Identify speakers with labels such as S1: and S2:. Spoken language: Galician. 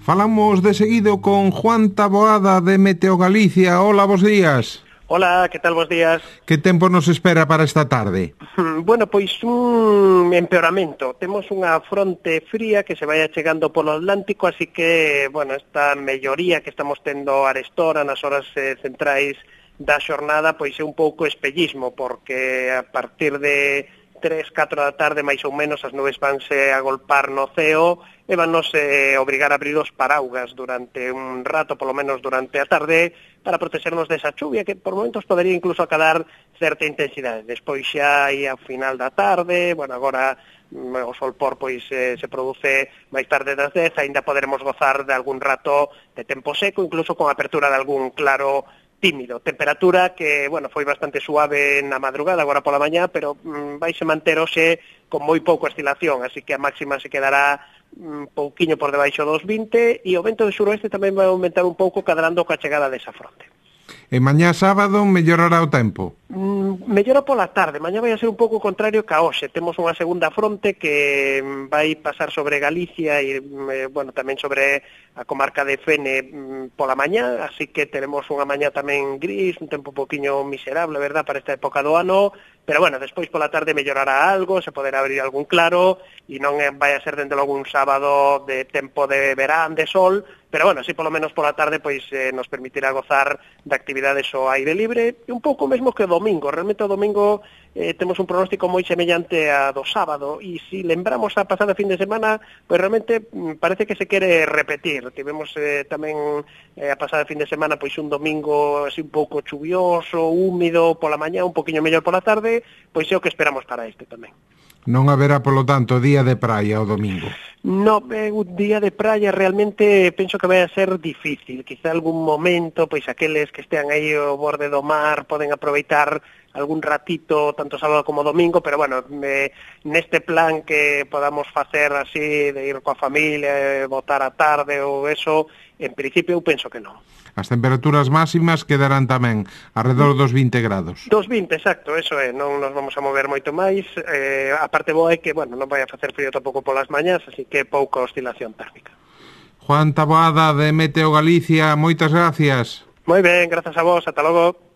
S1: Falamos de seguido con Juan Taboada de Meteo Galicia. Hola, bos días.
S2: Hola, que tal, bos días?
S1: Que tempo nos espera para esta tarde?
S2: Bueno, pois un empeoramento. Temos unha fronte fría que se vai achegando polo Atlántico, así que, bueno, esta melloría que estamos tendo arestora nas horas centrais da xornada, pois é un pouco espellismo, porque a partir de 3, 4 da tarde, máis ou menos, as nubes vanse a golpar no ceo e vannos obrigar a abrir os paraugas durante un rato, polo menos durante a tarde, para protexernos desa chuvia, que por momentos podería incluso acadar certa intensidade. Despois xa aí ao final da tarde, bueno, agora o solpor pois se produce máis tarde das 10, ainda poderemos gozar de algún rato de tempo seco, incluso con apertura de algún claro tímido. Temperatura que, bueno, foi bastante suave na madrugada, agora pola mañá, pero vaise manter hoxe con moi pouca oscilación, así que a máxima se quedará un pouquiño por debaixo dos 20 e o vento de suroeste tamén vai aumentar un pouco cadrando coa chegada desa fronte.
S1: E mañá sábado mellorará o tempo?
S2: Mellora pola tarde, mañá vai a ser un pouco contrario ca hoxe. Temos unha segunda fronte que vai pasar sobre Galicia e, bueno, tamén sobre a comarca de Fene pola mañá, así que teremos unha mañá tamén gris, un tempo un poquinho miserable, verdad, para esta época do ano, pero, bueno, despois pola tarde mellorará algo, se poderá abrir algún claro, e non vai a ser dende logo un sábado de tempo de verán, de sol, pero, bueno, si polo menos pola tarde pois nos permitirá gozar de actividades ao aire libre, e un pouco mesmo que o domingo. Realmente o domingo temos un pronóstico moi semellante a do sábado, e se lembramos a pasada fin de semana, pois realmente parece que se quere repetir. Tivemos tamén a pasada fin de semana pois un domingo así un pouco chuvioso, húmido pola mañá, un poquinho mellor pola tarde, pois é o que esperamos para este tamén.
S1: Non haberá, polo tanto, día de praia o domingo?
S2: No, un día de praia realmente penso que vai a ser difícil. Quizá algún momento, pois aqueles que estean aí ao borde do mar poden aproveitar algún ratito, tanto sábado como domingo, pero, bueno, neste plan que podamos facer así, de ir coa familia, botar a tarde ou eso, en principio eu penso que non.
S1: As temperaturas máximas quedarán tamén alrededor dos 20 grados.
S2: Dos 20, exacto, eso é, non nos vamos a mover moito máis. A parte boa é que, bueno, non vai a facer frío tampouco polas mañás, así que pouca oscilación térmica.
S1: Juan Taboada de Meteo Galicia, moitas gracias.
S2: Moi ben, grazas a vos, ata logo.